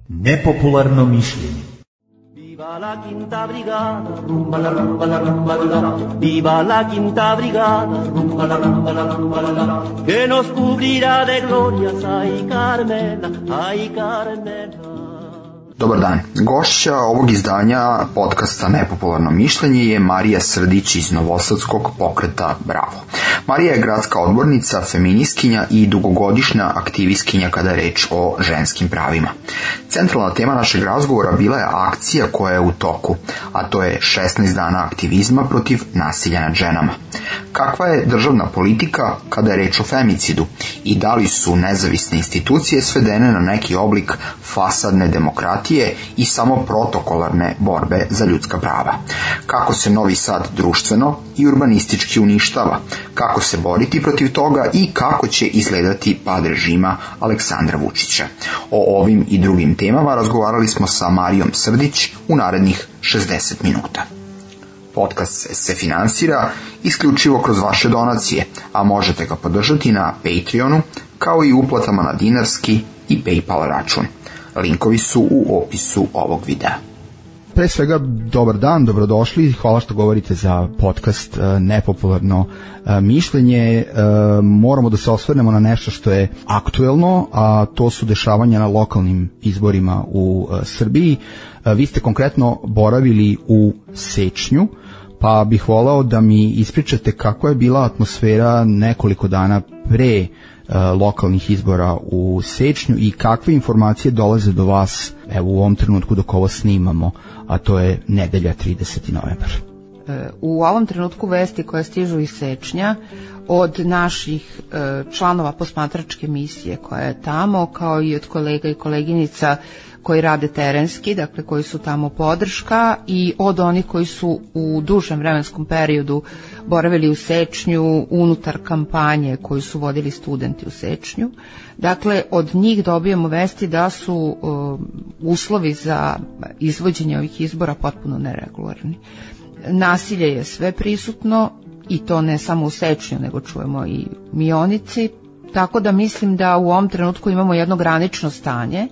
Nepopularno mišljenje. Viva la quinta brigada, rumba la rumba la rumba la. Viva la quinta brigada, rumba la rumba la rumba la. Que nos cubrirá de glorias, ay Carmela, ay Carmela. Dobar dan. Gošća ovog izdanja podcasta Nepopularno mišljenje je Marija Srdić iz Novosadskog pokreta Bravo. Marija je gradska odbornica, feministkinja i dugogodišnja aktivistkinja kada je reč o ženskim pravima. Centralna tema našeg razgovora bila je akcija koja je u toku, a to je 16 dana aktivizma protiv nasilja nad ženama. Kakva je državna politika kada je reč o femicidu i da li su nezavisne institucije svedene na neki oblik fasadne demokratije i samo protokolarne borbe za ljudska prava? Kako se Novi Sad društveno i urbanistički uništava? Kako se boriti protiv toga i kako će izgledati pad režima Aleksandra Vučića? O ovim i drugim temama razgovarali smo sa Marijom Srdić u narednih 60 minuta. Podcast se finansira isključivo kroz vaše donacije, a možete ga podržati na Patreonu, kao i uplatama na dinarski i PayPal račun. Linkovi su u opisu ovog videa. Pre svega, dobar dan, dobrodošli, hvala što govorite za podcast Nepopularno mišljenje. Moramo da se osvrnemo na nešto što je aktuelno, a to su dešavanja na lokalnim izborima u Srbiji. Vi ste konkretno boravili u Sečnju, pa bih voleo da mi ispričate kakva je bila atmosfera nekoliko dana pre lokalnih izbora u Sečnju i kakve informacije dolaze do vas evo u ovom trenutku dok ovo snimamo, a to je nedelja 30. novembar. U ovom trenutku vesti koje stižu iz Sečnja od naših članova posmatračke misije koja je tamo, kao i od kolega i koleginica koji rade terenski, dakle koji su tamo podrška, i od onih koji su u dužem vremenskom periodu boravili u Sečnju unutar kampanje koju su vodili studenti u Sečnju. Dakle, od njih dobijamo vesti da su uslovi za izvođenje ovih izbora potpuno neregularni. Nasilje je sve prisutno i to ne samo u Sečnju, nego čujemo i Mionici, tako da mislim da u ovom trenutku imamo jedno granično stanje.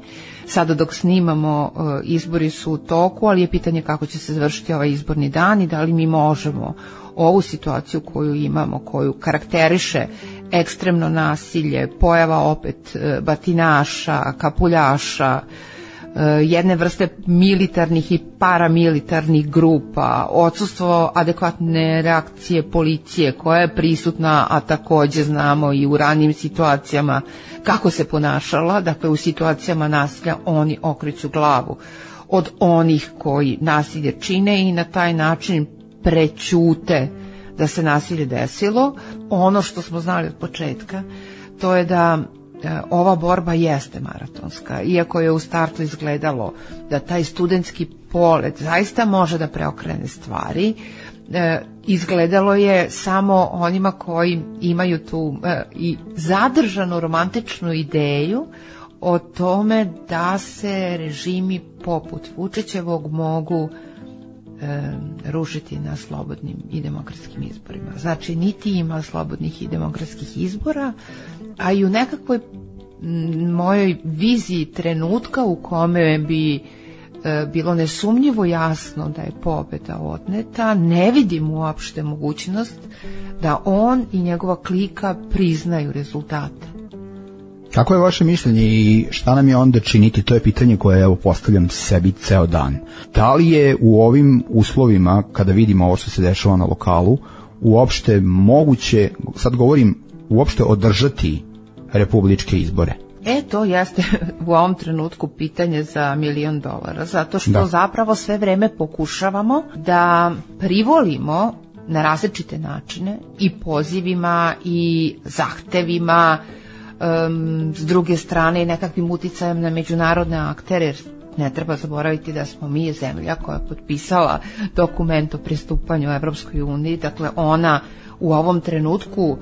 Sada dok snimamo, izbori su u toku, ali je pitanje kako će se završiti ovaj izborni dan i da li mi možemo ovu situaciju koju imamo, koju karakteriše ekstremno nasilje, pojava opet batinaša, kapuljaša, jedne vrste militarnih i paramilitarnih grupa, odsustvo adekvatne reakcije policije koja je prisutna, a takođe znamo i u ranijim situacijama kako se ponašala, dakle u situacijama nasilja oni okreću glavu od onih koji nasilje čine i na taj način prećute da se nasilje desilo. Ono što smo znali od početka, to je da ova borba jeste maratonska, iako je u startu izgledalo da taj studentski polet zaista može da preokrene stvari. Izgledalo je samo onima koji imaju tu i zadržanu romantičnu ideju o tome da se režimi poput Vučićevog mogu rušiti na slobodnim i demokratskim izborima. Znači, niti ima slobodnih i demokratskih izbora, a i u nekakvoj mojoj viziji trenutka u kome bi bilo nesumnjivo jasno da je pobeda odneta, ne vidim uopšte mogućnost da on i njegova klika priznaju rezultate. Kako je vaše mišljenje i šta nam je onda činiti? To je pitanje koje evo postavljam sebi ceo dan. Da li je u ovim uslovima, kada vidimo ovo što se dešava na lokalu, uopšte moguće, sad govorim, uopšte održati republičke izbore? To jeste u ovom trenutku pitanje za $1 milion, zato što zapravo sve vreme pokušavamo da privolimo na različite načine i pozivima i zahtevima, s druge strane i nekakvim uticajem na međunarodne aktere, jer ne treba zaboraviti da smo mi zemlja koja je potpisala dokument o pristupanju Evropskoj uniji, dakle ona u ovom trenutku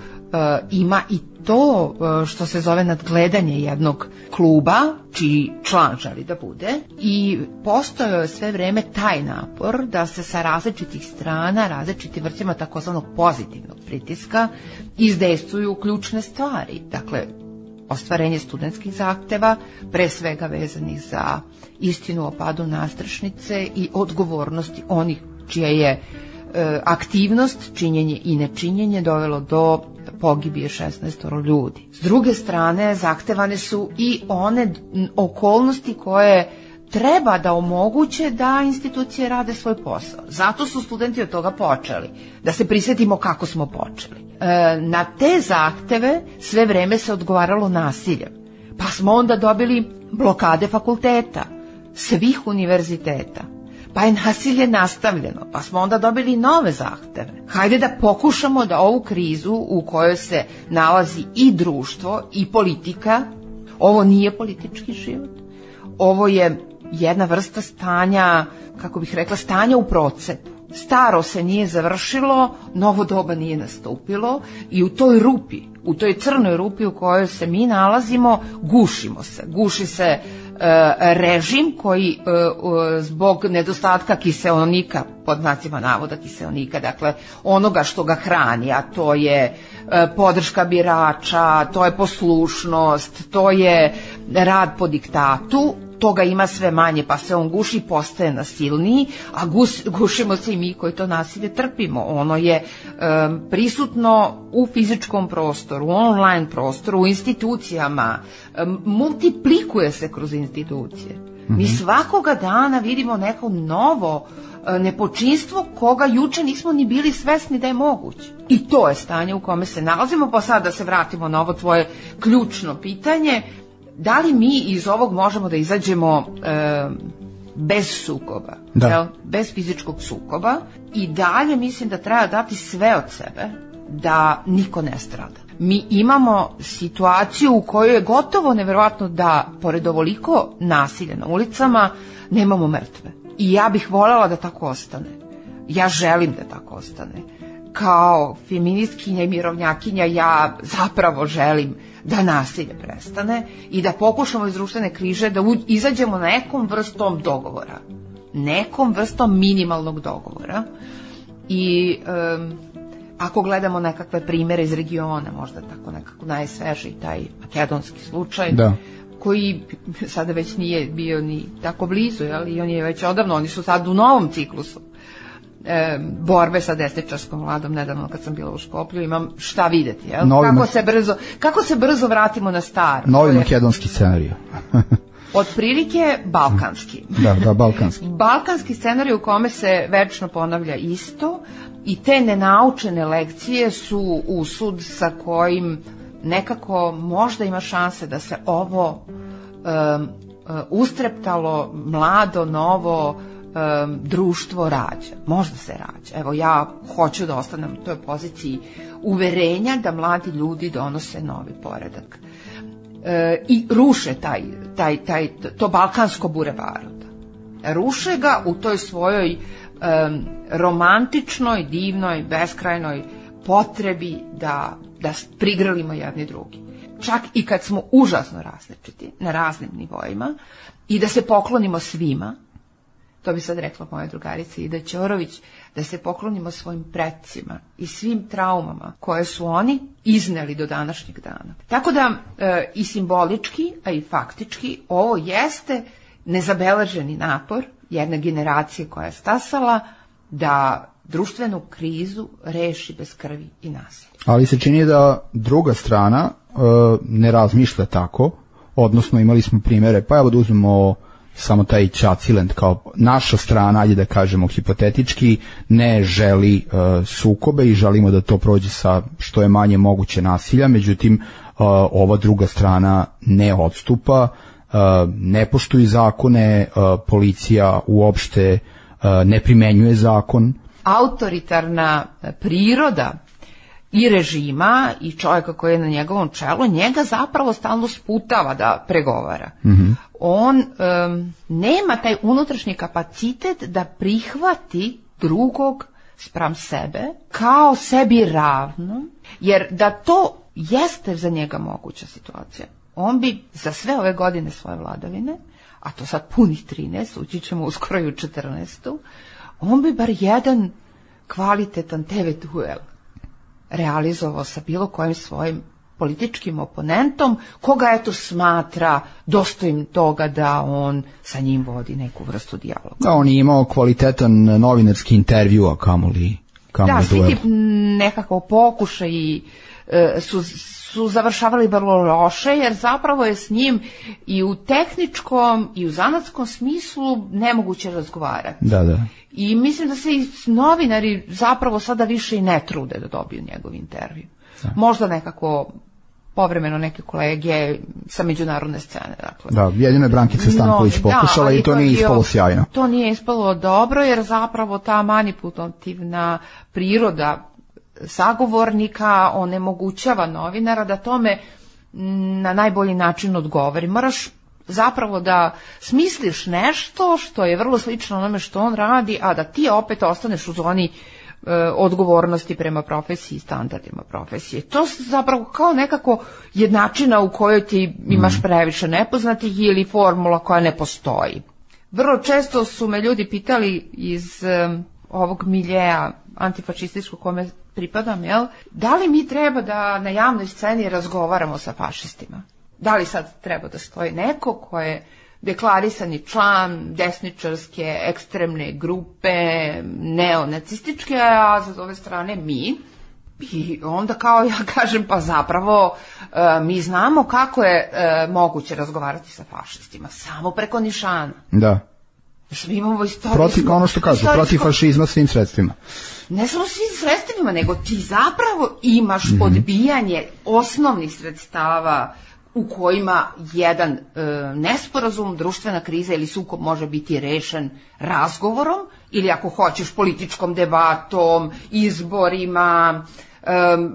ima i to što se zove nadgledanje jednog kluba, čiji član želi da bude, i postojao je sve vreme taj napor da se sa različitih strana, različitim vrstama takozvanog pozitivnog pritiska izdejstvuju ključne stvari. Dakle, ostvarenje studentskih zahteva, pre svega vezanih za istinu o padu Nastrešnice i odgovornosti onih čija je aktivnost, činjenje i nečinjenje dovelo do pogibije 16 ljudi. S druge strane, zahtevane su i one okolnosti koje treba da omoguće da institucije rade svoj posao. Zato su studenti od toga počeli. Da se prisjetimo kako smo počeli. Na te zahteve sve vreme se odgovaralo nasiljem. Pa smo onda dobili blokade fakulteta, svih univerziteta. Pa je nasilje nastavljeno, pa smo onda dobili nove zahteve. Hajde da pokušamo da ovu krizu u kojoj se nalazi i društvo i politika, ovo nije politički život, ovo je jedna vrsta stanja, kako bih rekla, stanja u procepu. Staro se nije završilo, novo doba nije nastupilo i u toj rupi, u toj crnoj rupi u kojoj se mi nalazimo, gušimo se. Guši se režim koji zbog nedostatka kiseonika, pod znacima navoda kiseonika, dakle onoga što ga hrani, a to je podrška birača, to je poslušnost, to je rad po diktatu, toga ima sve manje, pa se on guši, postaje nasilniji, a gušimo se i mi koji to nasilje trpimo. Ono je prisutno u fizičkom prostoru, u online prostoru, u institucijama, multiplikuje se kroz institucije. Mi svakoga dana vidimo neko novo nepočinstvo koga juče nismo ni bili svesni da je moguće. I to je stanje u kome se nalazimo, pa sad da se vratimo na ovo tvoje ključno pitanje. Da li mi iz ovog možemo da izađemo bez sukoba, bez fizičkog sukoba, i dalje mislim da treba dati sve od sebe da niko ne strada. Mi imamo situaciju u kojoj je gotovo neverovatno da, pored ovoliko nasilja na ulicama, nemamo mrtve. I ja bih voljela da tako ostane. Ja želim da tako ostane. Kao feministkinja i mirovnjakinja ja zapravo želim da nasilje prestane i da pokušamo iz društvene križe da izađemo nekom vrstom dogovora. Nekom vrstom minimalnog dogovora. I ako gledamo nekakve primere iz regiona, možda tako nekako najsvežiji taj makedonski slučaj, koji sada već nije bio ni tako blizu, i on je već odavno, oni su sad u novom ciklusu borbe sa desničarskom vladom. Nedavno kad sam bila u Škoplju imam šta videti, kako se brzo vratimo na staro. Novi makedonski scenarij. Otprilike balkanski. Da, balkanski. Balkanski scenarij u kome se večno ponavlja isto i te nenaučene lekcije su usud sa kojim nekako možda ima šanse da se ovo ustreptalo, mlado, novo društvo rađa. Možda se rađa. Evo, ja hoću da ostanem u toj poziciji uverenja da mladi ljudi donose novi poredak. I ruše to balkansko bure baruta. Ruše ga u toj svojoj romantičnoj, divnoj, beskrajnoj potrebi da prigrlimo jedni drugi. Čak i kad smo užasno različiti na raznim nivoima i da se poklonimo svima, to bi sad rekla moja drugarica Ida Ćorović, da se poklonimo svojim precima i svim traumama koje su oni izneli do današnjeg dana. Tako da i simbolički, a i faktički ovo jeste nezabeleženi napor jedne generacije koja je stasala da društvenu krizu reši bez krvi i nasilja. Ali se čini da druga strana ne razmišlja tako, odnosno imali smo primere, pa evo da uzmemo samo taj Ćaciland kao naša strana, ajde da kažemo hipotetički, ne želi sukobe i želimo da to prođe sa što je manje moguće nasilja, međutim ova druga strana ne odstupa, ne poštuje zakone, policija uopšte ne primenjuje zakon. Autoritarna priroda i režima i čovjeka koji je na njegovom čelu, njega zapravo stalno sputava da pregovara. On nema taj unutrašnji kapacitet da prihvati drugog spram sebe, kao sebi ravno, jer da to jeste za njega moguća situacija, on bi za sve ove godine svoje vladavine, a to sad punih 13, ući ćemo uskoro i u 14, on bi bar jedan kvalitetan TV duel realizovao sa bilo kojim svojim političkim oponentom, koga eto smatra dostojnim toga da on sa njim vodi neku vrstu dijaloga. Da, on je imao kvalitetan novinarski intervju, a kamoli da, svi duel. ti nekako pokušaji su završavali vrlo loše, jer zapravo je s njim i u tehničkom i u zanatskom smislu nemoguće razgovarati. Da. I mislim da se i novinari zapravo sada više i ne trude da dobiju njegov intervju. Da. Možda nekako povremeno neke kolege sa međunarodne scene. Dakle. Da, jedino je Brankica Stanković pokušala i to nije ispalo sjajno. To nije ispalo dobro, jer zapravo ta manipulativna priroda sagovornika onemogućava novinara da tome na najbolji način odgovori. Moraš zapravo da smisliš nešto što je vrlo slično onome što on radi, a da ti opet ostaneš u zoni odgovornosti prema profesiji i standardima profesije. To zapravo kao nekako jednačina u kojoj ti imaš previše nepoznatih ili formula koja ne postoji. Vrlo često su me ljudi pitali iz ovog miljeja antifašističkog kome pripadam, da li mi treba da na javnoj sceni razgovaramo sa fašistima? Da li sad treba da stoji neko ko je deklarisani član desničarske ekstremne grupe, neonacističke, a sa ove strane mi? I onda kao ja kažem, pa zapravo mi znamo kako je moguće razgovarati sa fašistima, samo preko nišana. Da. Mi imamo istorijsko... Ono što kažu, protiv fašizma svim sredstvima. Ne samo svim sredstvima, nego ti zapravo imaš odbijanje osnovnih sredstava u kojima jedan nesporazum, društvena kriza ili sukob može biti rešen razgovorom ili ako hoćeš političkom debatom, izborima,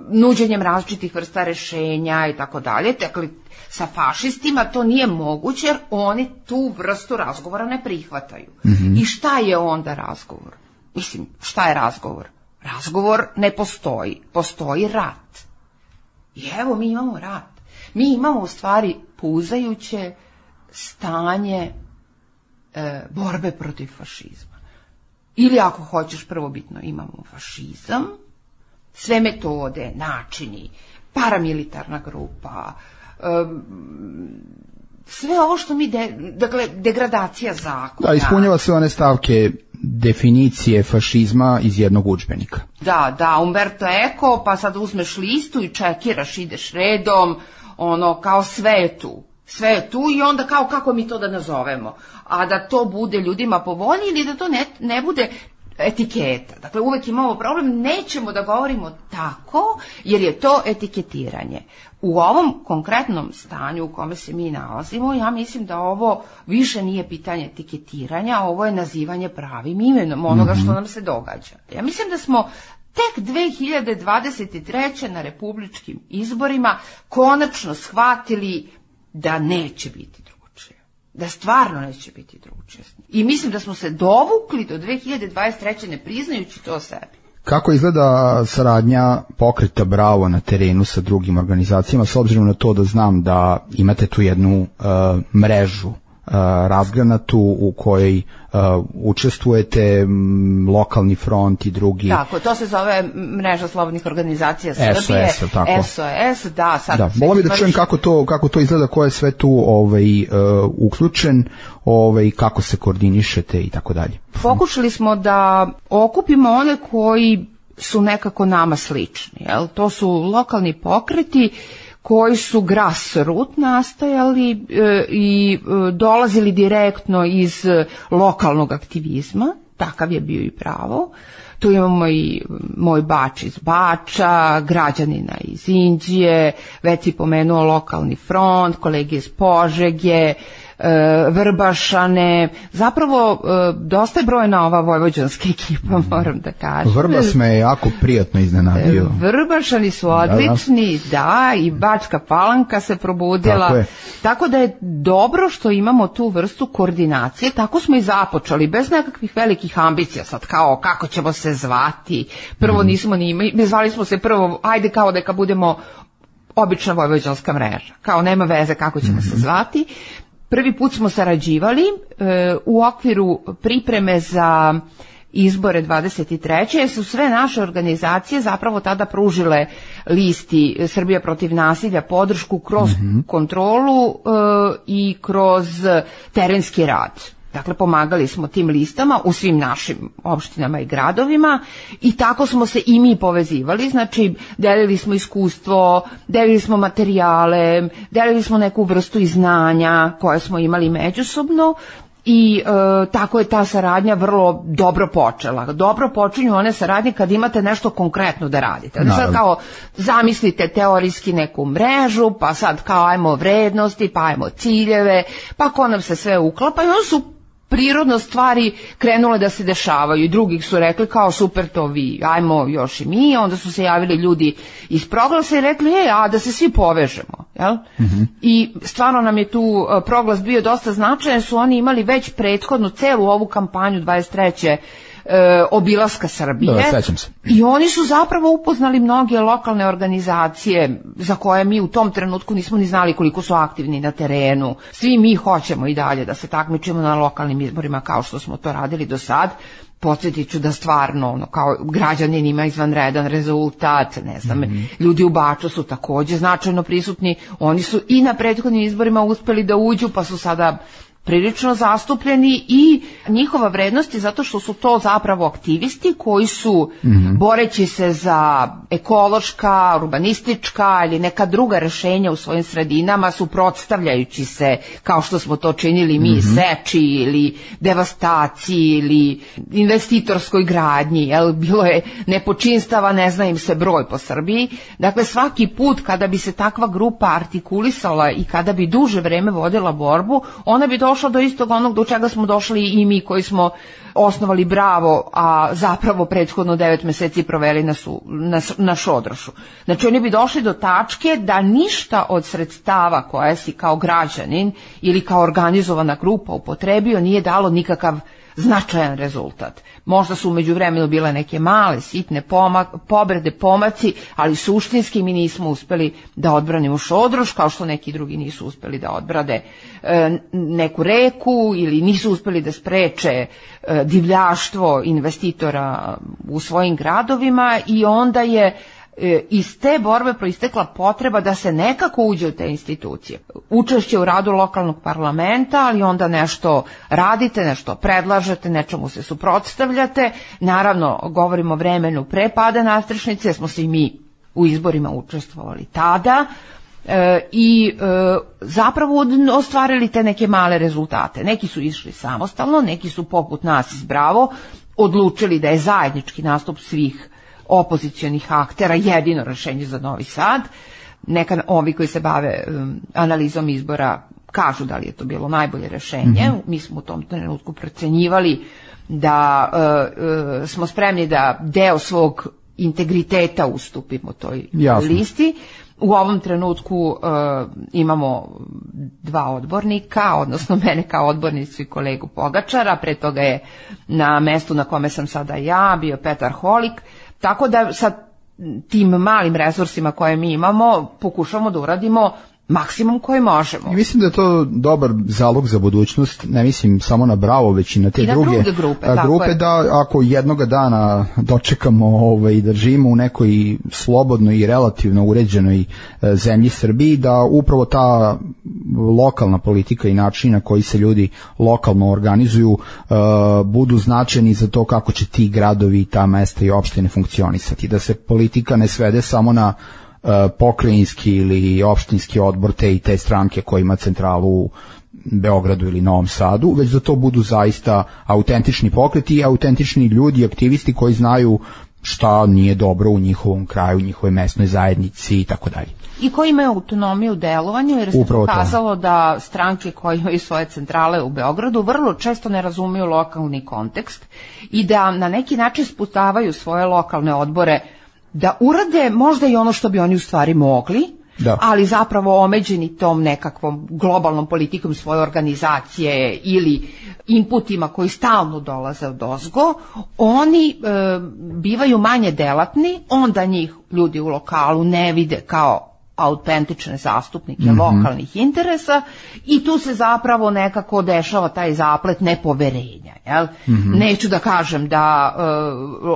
nuđenjem različitih vrsta rešenja i tako dalje. Dakle, sa fašistima to nije moguće jer oni tu vrstu razgovora ne prihvataju. I šta je onda razgovor? Mislim, šta je razgovor? Razgovor ne postoji. Postoji rat. I evo mi imamo rat. Mi imamo u stvari puzajuće stanje borbe protiv fašizma. Ili ako hoćeš prvobitno imamo fašizam, sve metode, načini, paramilitarna grupa, sve ovo što mi, dakle, degradacija zakona. Da, ispunjava sve one stavke definicije fašizma iz jednog udžbenika. Da, Umberto Eco, pa sad uzmeš listu i čekiraš, ideš redom, ono, kao sve je tu i onda kao kako mi to da nazovemo, a da to bude ljudima po volji ili da to ne bude etiketa. Dakle, uvek imamo problem, nećemo da govorimo tako, jer je to etiketiranje. U ovom konkretnom stanju u kome se mi nalazimo, ja mislim da ovo više nije pitanje etiketiranja, ovo je nazivanje pravim imenom onoga što nam se događa. Ja mislim da smo tek 2023. na republičkim izborima konačno shvatili da neće biti drugačije. Da stvarno neće biti drugačije. I mislim da smo se dovukli do 2023. ne priznajući to sebi. Kako izgleda saradnja pokreta Bravo na terenu sa drugim organizacijama, s obzirom na to da znam da imate tu jednu mrežu razgranatu u kojoj učestvujete, lokalni front i drugi. Tako, to se zove mreža slobodnih organizacija Srbije. SOS, tako. SOS, da. Sad da, volio bih da čujem kako to izgleda, ko je sve tu uključen, kako se koordinišete i tako dalje. Pokušali smo da okupimo one koji su nekako nama slični. Jel? To su lokalni pokreti koji su grassroot nastajali i dolazili direktno iz lokalnog aktivizma, takav je bio i Pravo. Tu imamo i moj Bač iz Bača, građanina iz Inđije, već si pomenuo lokalni front, kolege iz Požege, Vrbašane, zapravo dosta je brojna ova vojvođanska ekipa, moram da kažem. Vrbas me je jako prijatno iznenadio. Vrbašani su odlični, da, i Bačka Palanka se probudila, tako da je dobro što imamo tu vrstu koordinacije, tako smo i započeli, bez nekakvih velikih ambicija, sad kao kako ćemo se zvati, prvo nismo ni imali, zvali smo se prvo, ajde kao neka budemo obična vojvođanska mreža, kao nema veze kako ćemo se zvati. Prvi put smo sarađivali u okviru pripreme za izbore 23. jer su sve naše organizacije zapravo tada pružile listi Srbija protiv nasilja podršku kroz kontrolu i kroz terenski rad. Dakle, pomagali smo tim listama u svim našim opštinama i gradovima i tako smo se i mi povezivali, znači delili smo iskustvo, delili smo materijale, delili smo neku vrstu i znanja koje smo imali međusobno i tako je ta saradnja vrlo dobro počela. Dobro počinju one saradnje kad imate nešto konkretno da radite. Sad kao zamislite teorijski neku mrežu, pa sad kao ajmo vrednosti, pa ajmo ciljeve, pa ko nam se sve uklapa i onda su prirodno stvari krenule da se dešavaju i drugih su rekli kao super to vi, ajmo još i mi, onda su se javili ljudi iz Proglasa i rekli a da se svi povežemo, jel? I stvarno nam je tu Proglas bio dosta značajan, su oni imali već prethodnu celu ovu kampanju 23. Obilaska Srbije. Da, sećam se. I oni su zapravo upoznali mnoge lokalne organizacije za koje mi u tom trenutku nismo ni znali koliko su aktivni na terenu. Svi mi hoćemo i dalje da se takmičimo na lokalnim izborima kao što smo to radili do sad. Podsjetit ću da stvarno kao građanin ima izvanredan rezultat, ne znam, ljudi u Baču su takođe značajno prisutni, oni su i na prethodnim izborima uspeli da uđu pa su sada prilično zastupljeni i njihova vrednost je zato što su to zapravo aktivisti koji su boreći se za ekološka, urbanistička ili neka druga rešenja u svojim sredinama, suprotstavljajući se kao što smo to činili mi seči ili devastaciji ili investitorskoj gradnji, jel? Bilo je nepočinstava, ne zna im se broj po Srbiji. Dakle, svaki put kada bi se takva grupa artikulisala i kada bi duže vreme vodila borbu, ona bi došla do istog onog do čega smo došli i mi koji smo osnovali Bravo, a zapravo prethodno 9 meseci proveli na Šodrošu. Znači oni bi došli do tačke da ništa od sredstava koje si kao građanin ili kao organizovana grupa upotrebio nije dalo nikakav značajan rezultat. Možda su umeđu vremenu bile neke male, sitne povrede, pomaci, ali suštinski mi nismo uspeli da odbranimo Šodroš, kao što neki drugi nisu uspeli da odbrade neku reku ili nisu uspeli da spreče divljaštvo investitora u svojim gradovima i onda je iz te borbe proistekla potreba da se nekako uđe u te institucije. Učešće u radu lokalnog parlamenta, ali onda nešto radite, nešto predlažete, nečemu se suprotstavljate. Naravno, govorimo o vremenu pre pada nastrešnice, jer smo se i mi u izborima učestvovali tada i zapravo ostvarili te neke male rezultate. Neki su išli samostalno, neki su poput nas iz Bravo odlučili da je zajednički nastup svih opozicionih aktera jedino rešenje za Novi Sad. Neka ovi koji se bave analizom izbora kažu da li je to bilo najbolje rešenje. Mi smo u tom trenutku procenjivali da smo spremni da deo svog integriteta ustupimo toj listi. U ovom trenutku imamo 2 odbornika, odnosno mene kao odbornicu i kolegu Pogačara, pre toga je na mestu na kome sam sada ja bio Petar Holik, tako da sa tim malim resursima koje mi imamo pokušamo da uradimo maksimum koji možemo. I mislim da je to dobar zalog za budućnost, ne mislim samo na Bravo, već i na te druge grupe da ako jednoga dana dočekamo i da živimo u nekoj slobodnoj i relativno uređenoj zemlji Srbiji, da upravo ta lokalna politika i način na koji se ljudi lokalno organizuju budu značajni za to kako će ti gradovi i ta mesta i opštine funkcionisati, da se politika ne svede samo na pokrajinski ili opštinski odbor te i te stranke koji ima centralu u Beogradu ili Novom Sadu, već da to budu zaista autentični pokreti i autentični ljudi, aktivisti koji znaju šta nije dobro u njihovom kraju, u njihovoj mesnoj zajednici i tako dalje. I koji imaju autonomiju u delovanju, jer se pokazalo da stranke koje imaju svoje centrale u Beogradu vrlo često ne razumiju lokalni kontekst i da na neki način sputavaju svoje lokalne odbore da urade možda i ono što bi oni u stvari mogli, ali zapravo omeđeni tom nekakvom globalnom politikom svoje organizacije ili inputima koji stalno dolaze od ozgo, oni bivaju manje delatni, onda njih ljudi u lokalu ne vide kao autentične zastupnike lokalnih interesa i tu se zapravo nekako dešava taj zaplet nepoverenja. Jel? Neću da kažem da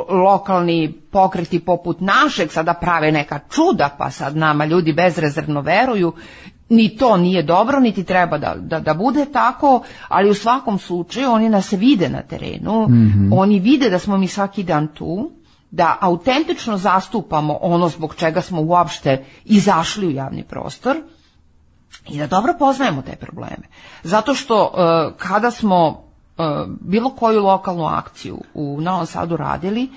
lokalni pokreti poput našeg sada prave neka čuda, pa sad nama ljudi bezrezervno veruju, ni to nije dobro, niti treba da bude tako, ali u svakom slučaju oni nas vide na terenu, oni vide da smo mi svaki dan tu, da autentično zastupamo ono zbog čega smo uopšte izašli u javni prostor i da dobro poznajemo te probleme. Zato što kada smo bilo koju lokalnu akciju u Novom Sadu radili,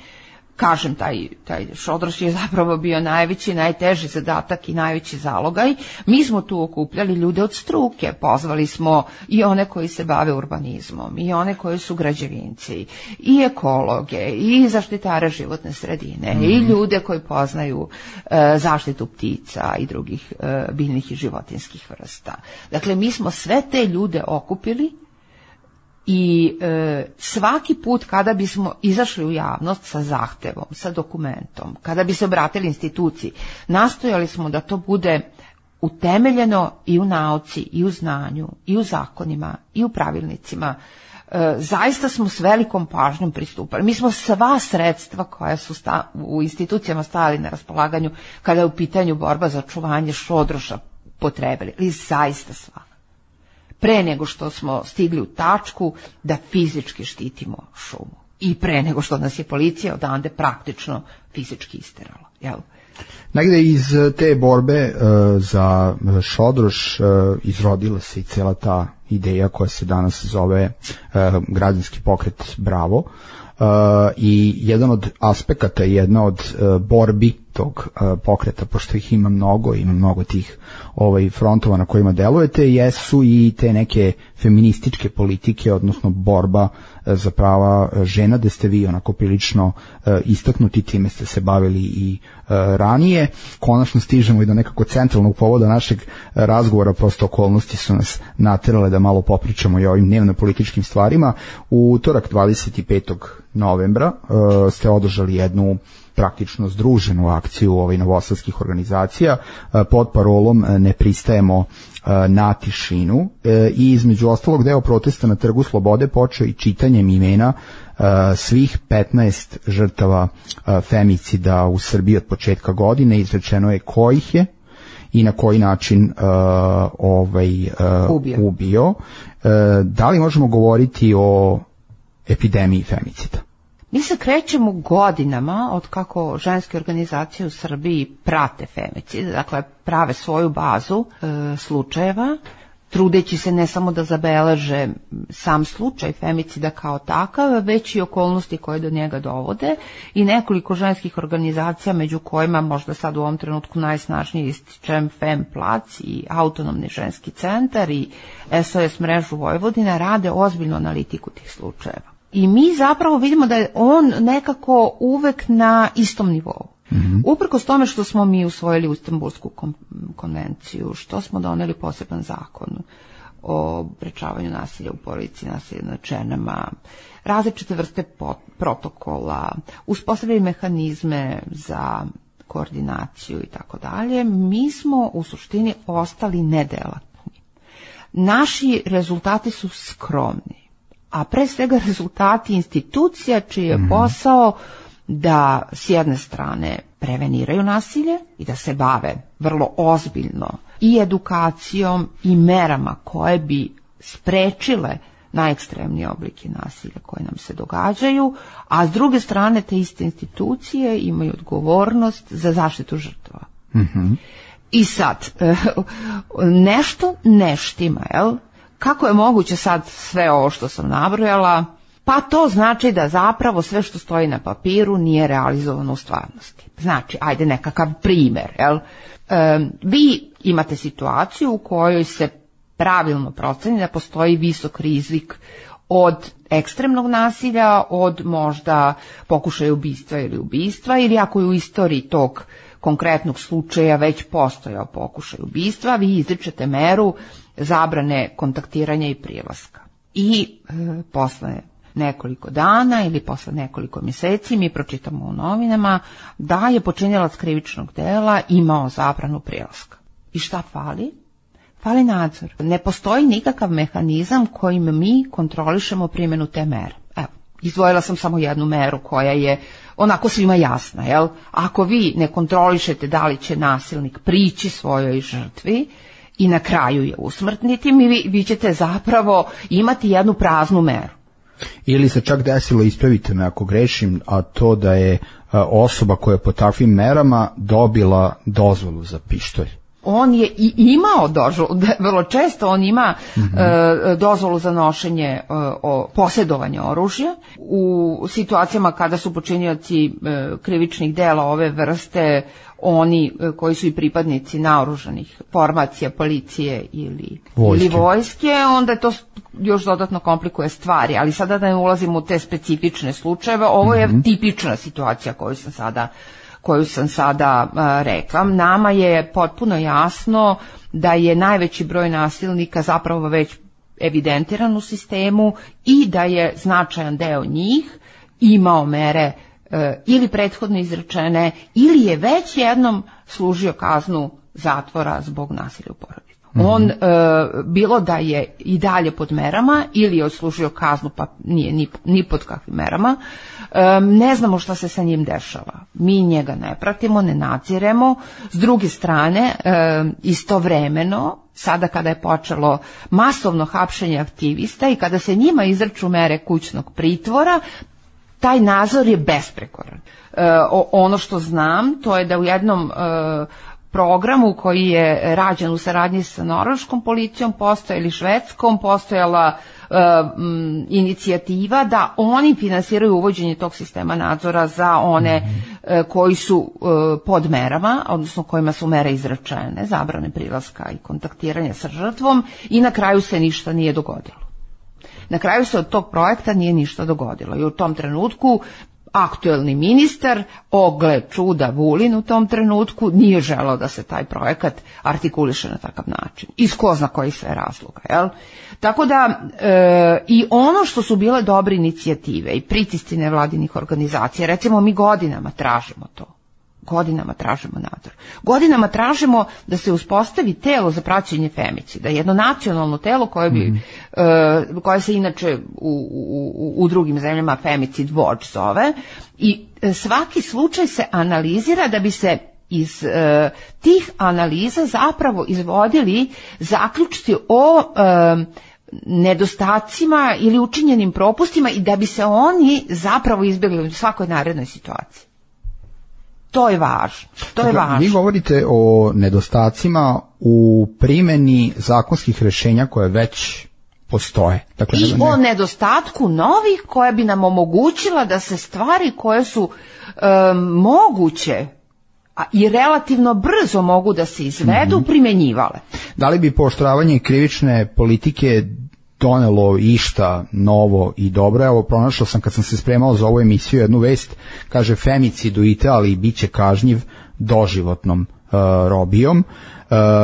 kažem, taj Šodroš je zapravo bio najveći, najteži zadatak i najveći zalogaj. Mi smo tu okupljali ljude od struke, pozvali smo i one koji se bave urbanizmom, i one koji su građevinci, i ekologe, i zaštitare životne sredine, i ljude koji poznaju zaštitu ptica i drugih biljnih i životinjskih vrsta. Dakle, mi smo sve te ljude okupili i svaki put kada bismo izašli u javnost sa zahtevom, sa dokumentom, kada bi se obratili instituciji, nastojali smo da to bude utemeljeno i u nauci, i u znanju, i u zakonima, i u pravilnicima. Zaista smo s velikom pažnjom pristupali. Mi smo sva sredstva koja su u institucijama stajali na raspolaganju kada je u pitanju borba za očuvanje Šodroša potrebili, ali zaista sva. Pre nego što smo stigli u tačku da fizički štitimo šumu i pre nego što nas je policija odande praktično fizički isterala. Jel? Negde iz te borbe za Šodroš izrodila se i cela ta ideja koja se danas zove građanski pokret Bravo. I jedan od aspekata, jedna od borbi tog pokreta, pošto ih ima mnogo tih frontova na kojima delujete, jesu i te neke feminističke politike, odnosno borba za prava žena, gde ste vi onako prilično istaknuti, time ste se bavili i ranije. Konačno stižemo i do nekako centralnog povoda našeg razgovora, prosto okolnosti su nas naterale da malo popričamo i o ovim dnevno-političkim stvarima. U utorak 25. novembra ste održali jednu praktično združenu akciju novosadskih organizacija pod parolom Ne pristajemo na tišinu i između ostalog deo protesta na Trgu Slobode počeo i čitanjem imena svih 15 žrtava femicida u Srbiji od početka godine. Izrečeno je ko ih je i na koji način ubio. Da li možemo govoriti o epidemiji femicida? Mi se krećemo godinama od kako ženske organizacije u Srbiji prate femicid, dakle prave svoju bazu slučajeva, trudeći se ne samo da zabeleže sam slučaj femicida kao takav, već i okolnosti koje do njega dovode, i nekoliko ženskih organizacija, među kojima možda sad u ovom trenutku najsnažnije ističem Fem Plac i Autonomni ženski centar i SOS mrežu Vojvodina, rade ozbiljnu analitiku tih slučajeva. I mi zapravo vidimo da je on nekako uvek na istom nivou. Uprkos tome što smo mi usvojili Istanbulsku konvenciju, što smo doneli poseban zakon o sprečavanju nasilja u porodici, nasilja nad ženama, različite vrste protokola, uspostavili mehanizme za koordinaciju i tako dalje, mi smo u suštini ostali nedelatni. Naši rezultati su skromni, a pre svega rezultati institucija čiji je posao da s jedne strane preveniraju nasilje i da se bave vrlo ozbiljno i edukacijom i merama koje bi sprečile najekstremnije oblike nasilja koje nam se događaju, a s druge strane te iste institucije imaju odgovornost za zaštitu žrtava. I sad, nešto ne štima, jel? Kako je moguće sad sve ovo što sam nabrojala? pa to znači da zapravo sve što stoji na papiru nije realizovano u stvarnosti. Znači, ajde nekakav primer, jel? Vi imate situaciju u kojoj se pravilno proceni da postoji visok rizik od ekstremnog nasilja, od možda pokušaja ubistva ili ako je u istoriji tog konkretnog slučaja već postojao pokušaj ubistva, vi izričete meru zabrane kontaktiranja i prilaska. I posle nekoliko dana ili posle nekoliko mjeseci mi pročitamo u novinama da je počinilac krivičnog dela imao zabranu prilaska. I šta fali? Fali nadzor. Ne postoji nikakav mehanizam kojim mi kontrolišemo primjenu te mere. Evo, izdvojila sam samo jednu meru koja je onako svima jasna, jel? Ako vi ne kontrolišete da li će nasilnik prići svojoj žrtvi i na kraju je usmrtniti, vi ćete zapravo imati jednu praznu meru. Ili se čak desilo, ispravite me ako grešim, a to da je osoba koja je po takvim merama dobila dozvolu za pištolj. On je i imao dozvolu, vrlo često on ima dozvolu za nošenje, posjedovanje oružja. U situacijama kada su počinioci krivičnih dela ove vrste, oni koji su i pripadnici naoružanih formacija, policije ili vojske, onda to još dodatno komplikuje stvari. Ali sada da ne ulazimo u te specifične slučajeve, ovo je tipična situacija koju sam sada rekla. Nama je potpuno jasno da je najveći broj nasilnika zapravo već evidentiran u sistemu i da je značajan deo njih imao mere ili prethodno izrečene ili je već jednom služio kaznu zatvora zbog nasilja u porodici. On, bilo da je i dalje pod merama ili je odslužio kaznu pa nije ni pod kakvim merama, ne znamo šta se sa njim dešava. Mi njega ne pratimo, ne nadziremo. S druge strane, istovremeno, sada kada je počelo masovno hapšenje aktivista i kada se njima izriču mere kućnog pritvora, taj nadzor je besprekoran. Ono što znam, to je da u jednom programu koji je rađen u saradnji sa norveškom policijom ili švedskom, postojala inicijativa da oni finansiraju uvođenje tog sistema nadzora za one koji su pod merama, odnosno kojima su mere izrečene, zabrane prilaska i kontaktiranja sa žrtvom, i na kraju se ništa nije dogodilo. Na kraju se od tog projekta nije ništa dogodilo i u tom trenutku aktuelni ministar, gle čuda Vulin u tom trenutku, nije želeo da se taj projekat artikuliše na takav način. Iz ko zna kojih sve razloga, jel? Tako da i ono što su bile dobre inicijative i pritisci nevladinih organizacija, recimo mi godinama tražimo to. Godinama tražimo nadzor. Godinama tražimo da se uspostavi telo za praćenje femicida, jedno nacionalno telo koje se inače u drugim zemljama Femicid Watch zove, i svaki slučaj se analizira da bi se iz tih analiza zapravo izvodili zaključci o nedostacima ili učinjenim propustima i da bi se oni zapravo izbjegli u svakoj narednoj situaciji. To je važno. Vi govorite o nedostacima u primjeni zakonskih rješenja koje već postoje. Dakle, i o nedostatku novih koja bi nam omogućila da se stvari koje su moguće i relativno brzo mogu da se izvedu primjenjivale. Da li bi pooštravanje krivične politike donelo išta novo i dobro? Evo, pronašao sam kad sam se spremao za ovu emisiju jednu vest, kaže femicid u Italiji biće kažnjiv doživotnom robijom.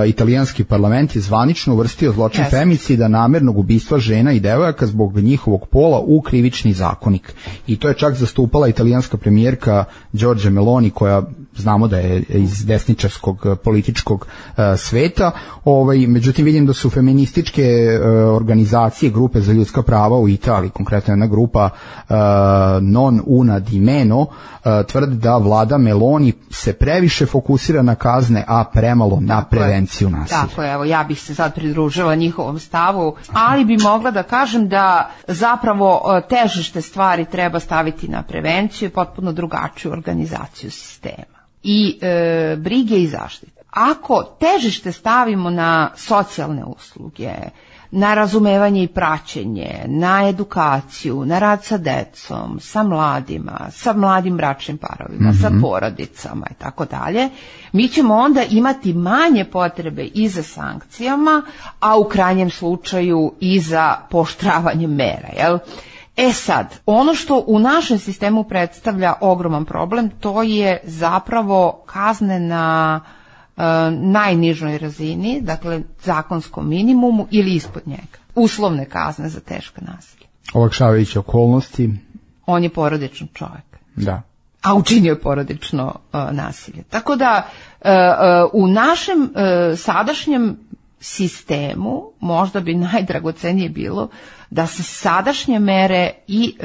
Italijanski parlament je zvanično uvrstio zločin femicida, namjernog ubistva žena i devojaka zbog njihovog pola u krivični zakonik. I to je čak zastupala italijanska premijerka Giorgia Meloni, koja znamo da je iz desničarskog političkog sveta. Međutim, vidim da su feminističke organizacije, grupe za ljudska prava u Italiji, konkretno jedna grupa Non Una di Meno, tvrdi da vlada Meloni se previše fokusira na kazne, a premalo na prevenciju nasilja. Tako je, evo, ja bih se sad pridružila njihovom stavu, ali bi mogla da kažem da zapravo težište stvari treba staviti na prevenciju i potpuno drugačiju organizaciju sistema i brige i zaštite. ako težište stavimo na socijalne usluge, na razumevanje i praćenje, na edukaciju, na rad sa decom, sa mladima, sa mladim bračnim parovima, sa porodicama i tako dalje, mi ćemo onda imati manje potrebe i za sankcijama, a u krajnjem slučaju i za pooštravanje mera, jel? Sad, ono što u našem sistemu predstavlja ogroman problem, to je zapravo kazne na najnižoj razini, dakle zakonskom minimumu ili ispod njega. Uslovne kazne za teška nasilja. Olakšavajuće okolnosti. On je porodičan čovjek. Da. A učinio je porodično nasilje. Tako da u našem sadašnjem sistemu možda bi najdragocenije bilo da se sadašnje mere i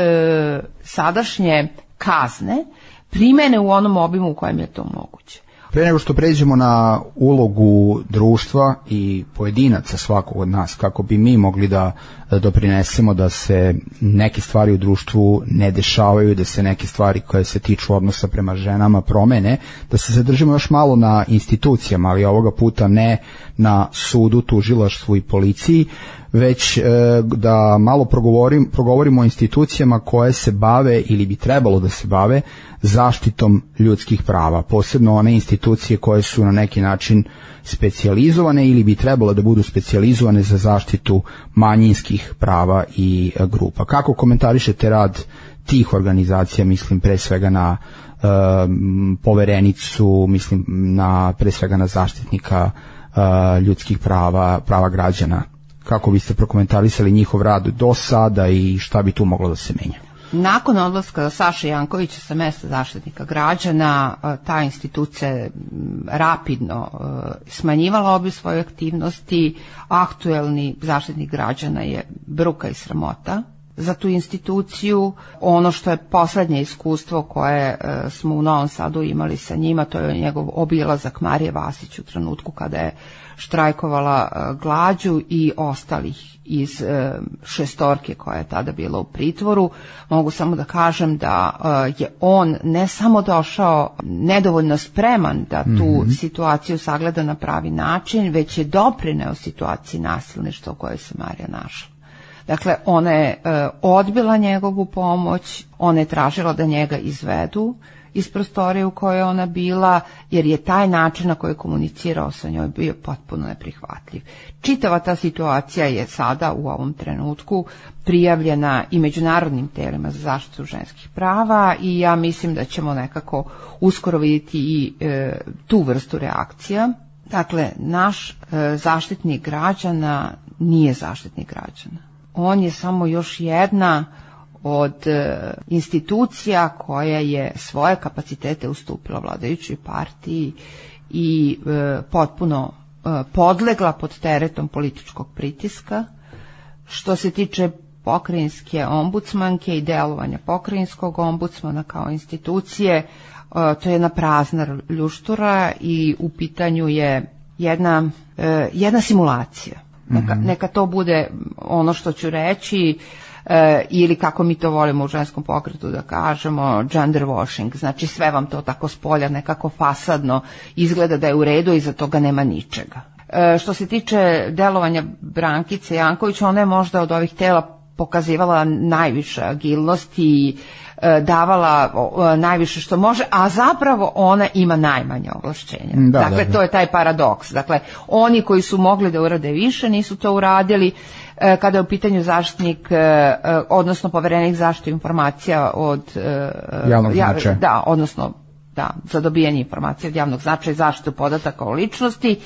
sadašnje kazne primene u onom obimu u kojem je to moguće. Pre nego što pređemo na ulogu društva i pojedinaca svakog od nas, kako bi mi mogli da doprinesemo da se neke stvari u društvu ne dešavaju, da se neke stvari koje se tiču odnosa prema ženama promene, da se zadržimo još malo na institucijama, ali ovoga puta ne na sudu, tužilaštvu i policiji, već da malo progovorimo o institucijama koje se bave ili bi trebalo da se bave zaštitom ljudskih prava, posebno one institucije koje su na neki način specijalizovane ili bi trebalo da budu specijalizovane za zaštitu manjinskih prava i grupa. Kako komentarišete rad tih organizacija, mislim pre svega na poverenicu, mislim pre svega na zaštitnika ljudskih prava građana? Kako biste prokomentarisali njihov rad do sada i šta bi tu moglo da se menja? Nakon odlaska Saše Jankovića sa mesta zaštitnika građana, ta institucija je rapidno smanjivala obim svoje aktivnosti. Aktuelni zaštitnik građana je bruka i sramota za tu instituciju. Ono što je poslednje iskustvo koje smo u Novom Sadu imali sa njima, to je njegov obilazak Marije Vasić u trenutku kada je štrajkovala glađu i ostalih iz šestorke koja je tada bila u pritvoru. Mogu samo da kažem da je on ne samo došao nedovoljno spreman da tu situaciju sagleda na pravi način, već je doprineo situaciji nasilništva u kojoj se Marija našla. Dakle, ona je odbila njegovu pomoć, ona je tražila da njega izvedu iz prostorije u kojoj je ona bila, jer je taj način na koji je komunicirao sa njoj bio potpuno neprihvatljiv. Čitava ta situacija je sada u ovom trenutku prijavljena i međunarodnim telima za zaštitu ženskih prava i ja mislim da ćemo nekako uskoro vidjeti i tu vrstu reakcija. Dakle, naš zaštitnik građana nije zaštitnik građana. On je samo još jedna od institucija koja je svoje kapacitete ustupila vladajućoj partiji i potpuno podlegla pod teretom političkog pritiska. Što se tiče pokrajinske ombudsmanke i delovanja pokrajinskog ombudsmana kao institucije, to je jedna prazna ljuštura i u pitanju je jedna simulacija. Neka to bude ono što ću reći, ili kako mi to volimo u ženskom pokretu da kažemo, gender washing, znači sve vam to tako spolja nekako fasadno izgleda da je u redu i za toga nema ničega. Što se tiče delovanja Brankice Janković, ona je možda od ovih tela pokazivala najviše agilnosti i davala najviše što može, a zapravo ona ima najmanje ovlašćenja. Dakle, to je taj paradoks. Dakle, oni koji su mogli da urade više nisu to uradili. Kada je u pitanju zaštitnik, odnosno poverenik zaštitu informacija od javnog značaja. Da, odnosno za dobijanje informacija od javnog značaja i zaštitu podataka o ličnosti.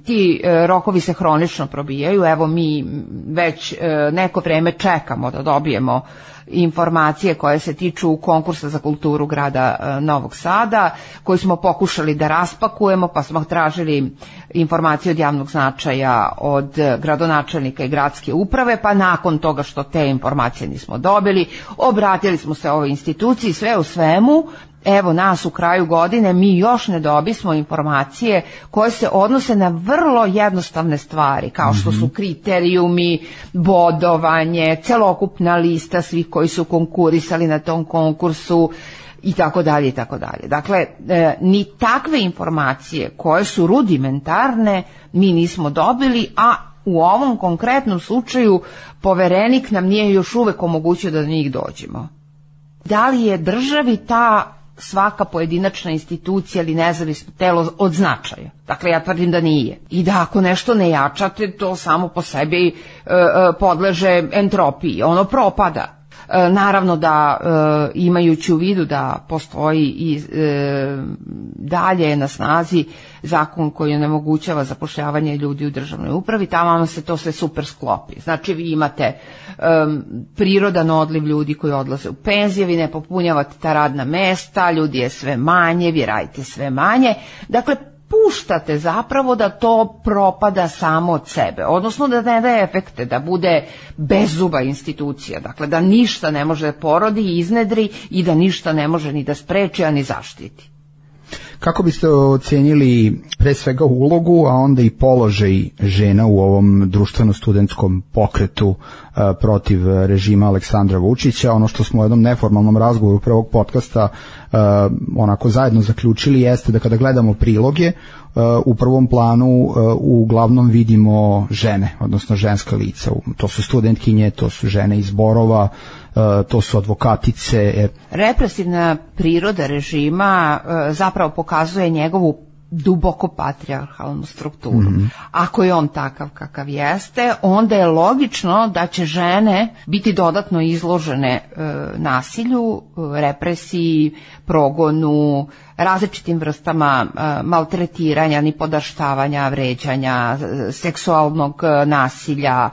Ti rokovi se hronično probijaju. Evo mi već neko vreme čekamo da dobijemo informacije koje se tiču konkursa za kulturu grada Novog Sada, koji smo pokušali da raspakujemo, pa smo tražili informacije od javnog značaja od gradonačelnika i gradske uprave, pa nakon toga što te informacije nismo dobili, obratili smo se ovoj instituciji, sve u svemu. Evo nas u kraju godine, mi još ne dobismo informacije koje se odnose na vrlo jednostavne stvari, kao što su kriterijumi, bodovanje, celokupna lista svih koji su konkurisali na tom konkursu i tako dalje i tako dalje. Dakle, ni takve informacije koje su rudimentarne mi nismo dobili, a u ovom konkretnom slučaju Poverenik nam nije još uvek omogućio da do njih dođemo. Da li je državi ta svaka pojedinačna institucija ili nezavisno telo od značaja? Dakle, ja tvrdim da nije. I da ako nešto ne jačate, to samo po sebi podleže entropiji, ono propada. Naravno da imajući u vidu da postoji i dalje na snazi zakon koji onemogućava zapošljavanje ljudi u državnoj upravi, tamo se to sve super sklopi. Znači vi imate prirodan odliv ljudi koji odlaze u penzije, vi ne popunjavate ta radna mesta, ljudi je sve manje, vi radite sve manje. Dakle, puštate zapravo da to propada samo od sebe, odnosno da ne daje efekte, da bude bezzuba institucija, dakle da ništa ne može da porodi i iznedri i da ništa ne može ni da spreči, a ni zaštiti. Kako biste ocenili pre svega ulogu, a onda i položaj žena u ovom društveno-studentskom pokretu protiv režima Aleksandra Vučića? Ono što smo u jednom neformalnom razgovoru prvog podcasta onako zajedno zaključili jeste da kada gledamo priloge, u prvom planu uglavnom vidimo žene, odnosno ženska lica. To su studentkinje, to su žene iz Borova, to su advokatice. Represivna priroda režima zapravo pokazuje njegovu duboko patrijarhalnu strukturu. Ako je on takav kakav jeste, onda je logično da će žene biti dodatno izložene nasilju, represiji, progonu, različitim vrstama maltretiranja, nipodaštavanja, vređanja, seksualnog nasilja,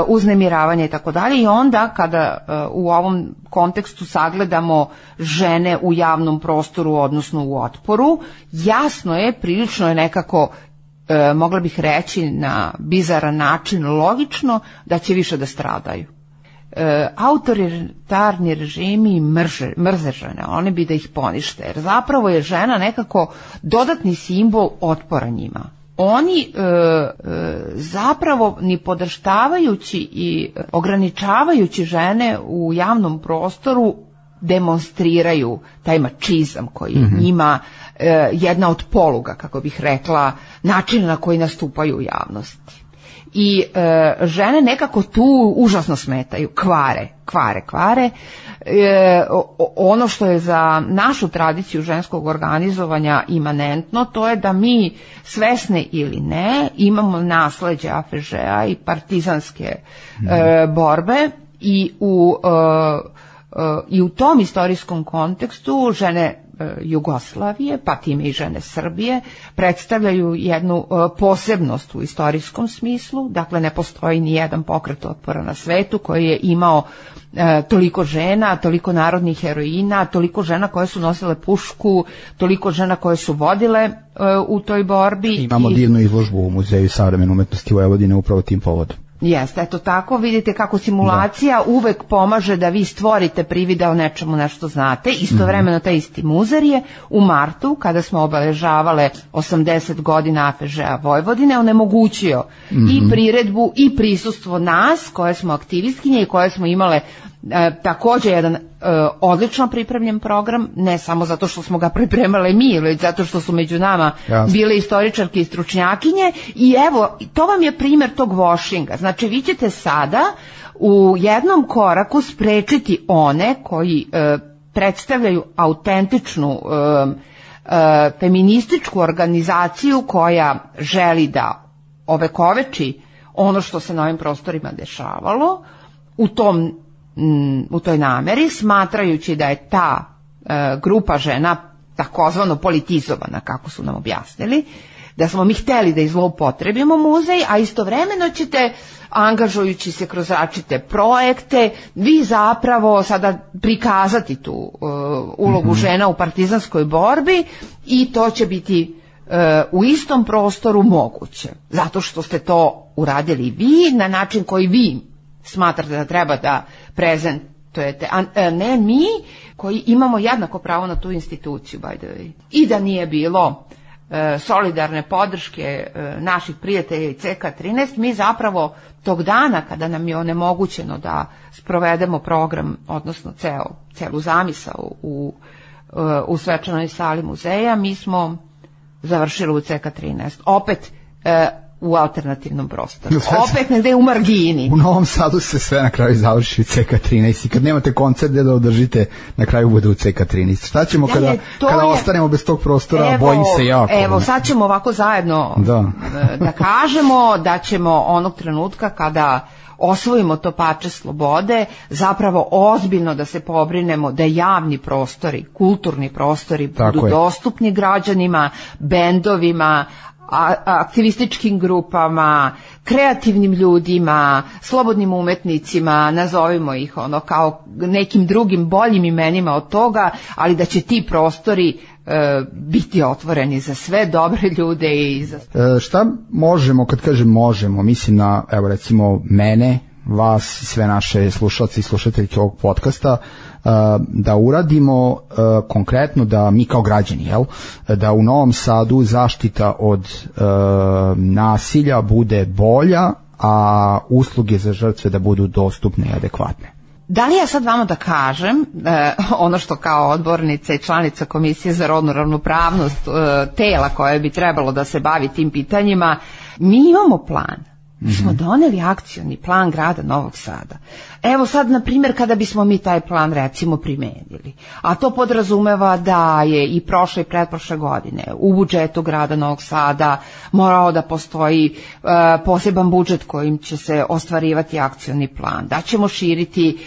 uznemiravanja i tako dalje. I onda kada u ovom kontekstu sagledamo žene u javnom prostoru, odnosno u otporu, jasno je, prilično je nekako, mogla bih reći na bizaran način, logično da će više da stradaju. Autoritarni režimi mrze žene, oni bi da ih ponište, jer zapravo je žena nekako dodatni simbol otpora njima. Oni zapravo ni podrštavajući i ograničavajući žene u javnom prostoru demonstriraju taj mačizam koji je njima jedna od poluga, kako bih rekla, načina na koji nastupaju u javnosti. I žene nekako tu užasno smetaju, kvare. Ono što je za našu tradiciju ženskog organizovanja imanentno, to je da mi, svesne ili ne, imamo nasleđe AFŽ-a i partizanske borbe i u tom istorijskom kontekstu žene Jugoslavije, pa time i žene Srbije, predstavljaju jednu posebnost u istorijskom smislu. Dakle, ne postoji ni jedan pokret otpora na svetu koji je imao toliko žena, toliko narodnih heroina, toliko žena koje su nosile pušku, toliko žena koje su vodile u toj borbi. Imamo divnu izložbu u Muzeju savremene umetnosti Vojvodine upravo tim povodom. Jeste, eto tako, vidite kako simulacija uvek pomaže da vi stvorite privida o nečemu nešto znate. Istovremeno taj isti muzej je u martu, kada smo obeležavale 80 godina AFŽ-a Vojvodine, onemogućio i priredbu i prisustvo nas, koje smo aktivistkinje i koje smo imale takođe jedan odlično pripremljen program, ne samo zato što smo ga pripremale mi, već zato što su među nama bile istoričarke i stručnjakinje. I evo, to vam je primjer tog washing-a. Znači, vi ćete sada u jednom koraku sprečiti one koji predstavljaju autentičnu feminističku organizaciju koja želi da ovekoveči ono što se na ovim prostorima dešavalo u toj nameri, smatrajući da je ta grupa žena takozvano politizovana, kako su nam objasnili, da smo mi hteli da izloupotrebimo muzej, a istovremeno ćete, angažujući se kroz različite projekte, vi zapravo sada prikazati tu ulogu žena u partizanskoj borbi i to će biti u istom prostoru moguće, zato što ste to uradili vi na način koji vi smatrate da treba da prezentujete, a ne mi koji imamo jednako pravo na tu instituciju, by the way. I da nije bilo solidarne podrške naših prijatelja i CK13, mi zapravo tog dana kada nam je onemogućeno da sprovedemo program, odnosno celu zamisao u u svečanoj sali muzeja, mi smo završili u CK13. Opet u alternativnom prostoru. Opet negde u margini. U Novom Sadu se sve na kraju završi u CK13 i kad nemate koncert da održite, na kraju bude u CK13. Šta ćemo kada ostanemo bez tog prostora? Bojim se jako. Evo, sad ćemo ovako zajedno da kažemo da ćemo onog trenutka kada osvojimo to parče slobode, zapravo ozbiljno da se pobrinemo da javni prostori, kulturni prostori budu dostupni građanima, bendovima, aktivističkim grupama, kreativnim ljudima, slobodnim umetnicima, nazovimo ih kao nekim drugim boljim imenima od toga, ali da će ti prostori biti otvoreni za sve dobre ljude i za... Šta možemo, kad kažem možemo, mislim na, evo recimo mene, vas i sve naše slušalce i slušateljke ovog podcasta, da uradimo konkretno, da mi kao građani, da u Novom Sadu zaštita od nasilja bude bolja, a usluge za žrtve da budu dostupne i adekvatne. Da li ja sad vama da kažem ono što kao odbornica i članica Komisije za rodnu ravnopravnost, tela koje bi trebalo da se bavi tim pitanjima, mi imamo plan. Mi smo doneli akcioni plan grada Novog Sada. Evo sad, na primjer, kada bismo mi taj plan recimo primenili, a to podrazumeva da je i prošle i pretprošle godine u budžetu grada Novog Sada morao da postoji poseban budžet kojim će se ostvarivati akcioni plan, da ćemo širiti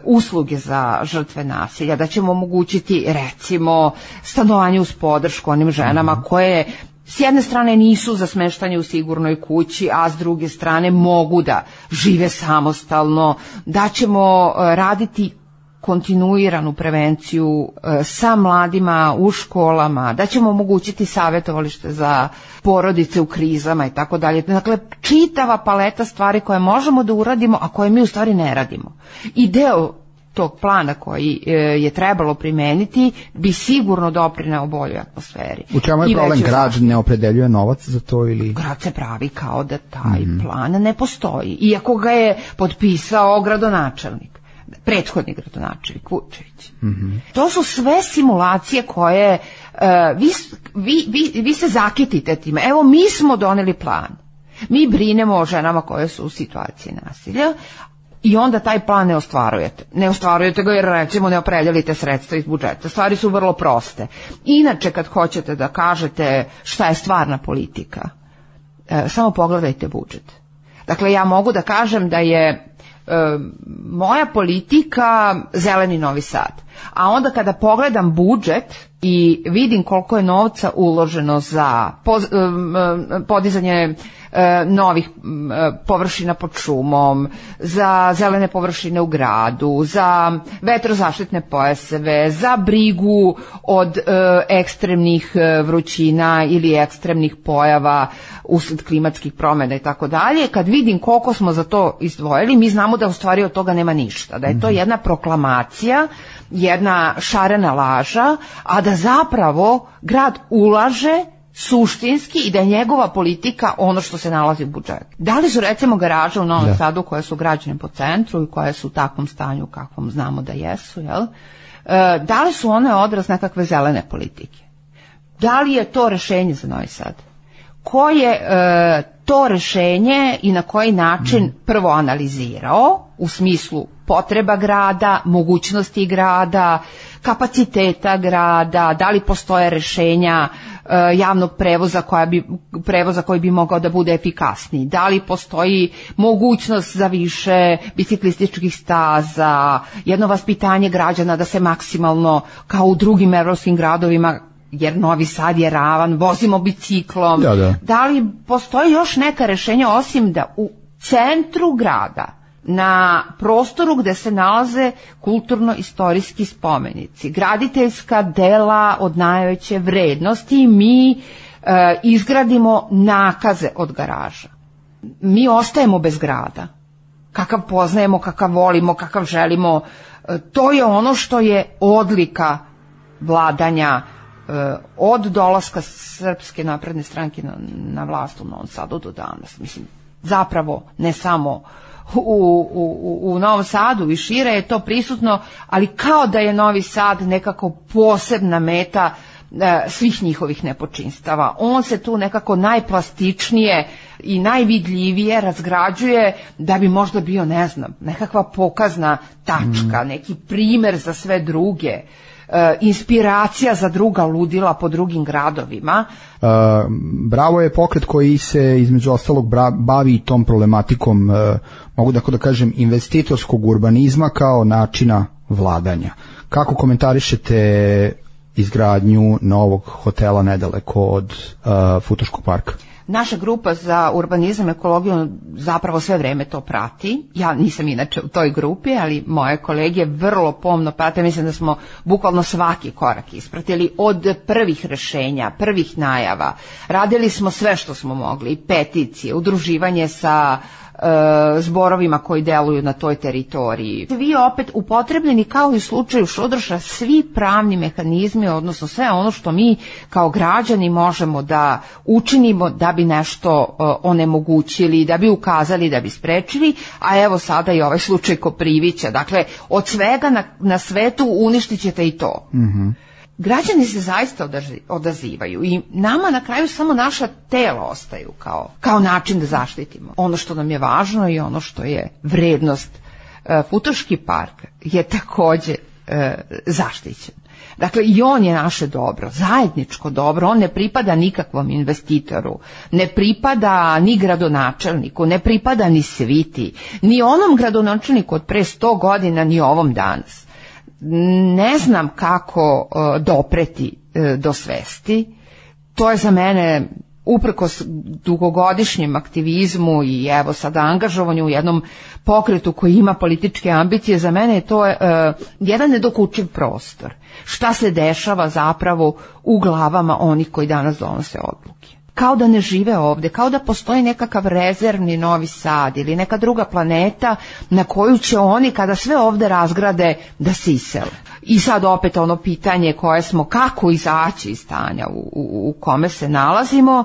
usluge za žrtve nasilja, da ćemo omogućiti recimo stanovanje uz podršku onim ženama koje s jedne strane nisu za smeštanje u sigurnoj kući, a s druge strane mogu da žive samostalno, da ćemo raditi kontinuiranu prevenciju sa mladima u školama, da ćemo omogućiti savjetovalište za porodice u krizama i tako dalje. Dakle, čitava paleta stvari koje možemo da uradimo, a koje mi u stvari ne radimo. I deo tog plana koji je trebalo primeniti bi sigurno doprineo boljoj atmosferi. U čemu je problem? Grad ne opredeljuje novac za to ili... Grad se pravi kao da taj plan ne postoji, iako ga je potpisao gradonačelnik, prethodni gradonačelnik Vučević. To su sve simulacije koje vi se zakitite time. Evo, mi smo doneli plan. Mi brinemo o ženama koje su u situaciji nasilja, i onda taj plan ne ostvarujete. Ne ostvarujete ga jer recimo ne opredelite sredstva iz budžeta. Stvari su vrlo proste. Inače, kad hoćete da kažete šta je stvarna politika, samo pogledajte budžet. Dakle, ja mogu da kažem da je moja politika zeleni Novi Sad. A onda kada pogledam budžet i vidim koliko je novca uloženo za podizanje novih površina pod šumom, za zelene površine u gradu, za vetrozaštitne pojaseve, za brigu od ekstremnih vrućina ili ekstremnih pojava usled klimatskih promjena i tako dalje, kad vidim koliko smo za to izdvojili, mi znamo da u stvari od toga nema ništa, da je to jedna proklamacija, jedna šarena laža, a da zapravo grad ulaže suštinski i da je njegova politika ono što se nalazi u budžetu. Da li su recimo garaže u Novom Sadu koje su građene po centru i koje su u takvom stanju kakvom znamo da jesu, da li su one odraz nekakve zelene politike? Da li je to rešenje za Novi Sad? Ko je to rešenje i na koji način prvo analizirao u smislu potreba grada, mogućnosti grada, kapaciteta grada, da li postoje rešenja javnog prevoza koji bi mogao da bude efikasniji, da li postoji mogućnost za više biciklističkih staza, jedno vaspitanje građana da se maksimalno kao u drugim evropskim gradovima, jer Novi Sad je ravan, vozimo biciklom. Da li postoji još neka rešenja osim da u centru grada, na prostoru gde se nalaze kulturno-istorijski spomenici, graditeljska dela od najveće vrednosti, mi izgradimo nakaze od garaža. Mi ostajemo bez grada. Kakav poznajemo, kakav volimo, kakav želimo, to je ono što je odlika vladanja od dolaska Srpske napredne stranke na vlast u Novom Sadu do danas. Mislim, zapravo ne samo u Novom Sadu i šire je to prisutno, ali kao da je Novi Sad nekako posebna meta svih njihovih nepočinstava. On se tu nekako najplastičnije i najvidljivije razgrađuje da bi možda bio, ne znam, nekakva pokazna tačka, neki primer za sve druge, inspiracija za druga ludila po drugim gradovima. Bravo je pokret koji se između ostalog bavi tom problematikom, mogu da kažem, investitorskog urbanizma kao načina vladanja. Kako komentarišete izgradnju novog hotela nedaleko od Futoškog parka? Naša grupa za urbanizam i ekologiju zapravo sve vreme to prati. Ja nisam inače u toj grupi, ali moje kolege vrlo pomno prate. Mislim da smo bukvalno svaki korak ispratili od prvih rešenja, prvih najava. Radili smo sve što smo mogli, peticije, udruživanje sa zborovima koji deluju na toj teritoriji. Vi opet upotrebljeni kao i u slučaju Šodrša svi pravni mehanizmi, odnosno sve ono što mi kao građani možemo da učinimo da bi nešto onemogućili, da bi ukazali, da bi sprečili, a evo sada i ovaj slučaj Koprivića. Dakle, od svega na svetu uništit ćete i to. Građani se zaista odazivaju i nama na kraju samo naša tela ostaju kao način da zaštitimo ono što nam je važno i ono što je vrednost. Futoški park je takođe zaštićen. Dakle, i on je naše dobro, zajedničko dobro, on ne pripada nikakvom investitoru, ne pripada ni gradonačelniku, ne pripada ni sviti, ni onom gradonačelniku od pre 100 godina, ni ovom danas. Ne znam kako dopreti do svesti. To je za mene, uprkos dugogodišnjem aktivizmu i evo sada angažovanju u jednom pokretu koji ima političke ambicije, za mene je to jedan nedokučiv prostor. Šta se dešava zapravo u glavama onih koji danas donose odluke? Kao da ne žive ovde, kao da postoji nekakav rezervni Novi Sad ili neka druga planeta na koju će oni, kada sve ovde razgrade, da se isele. I sad opet ono pitanje koje smo, kako izaći iz stanja u kome se nalazimo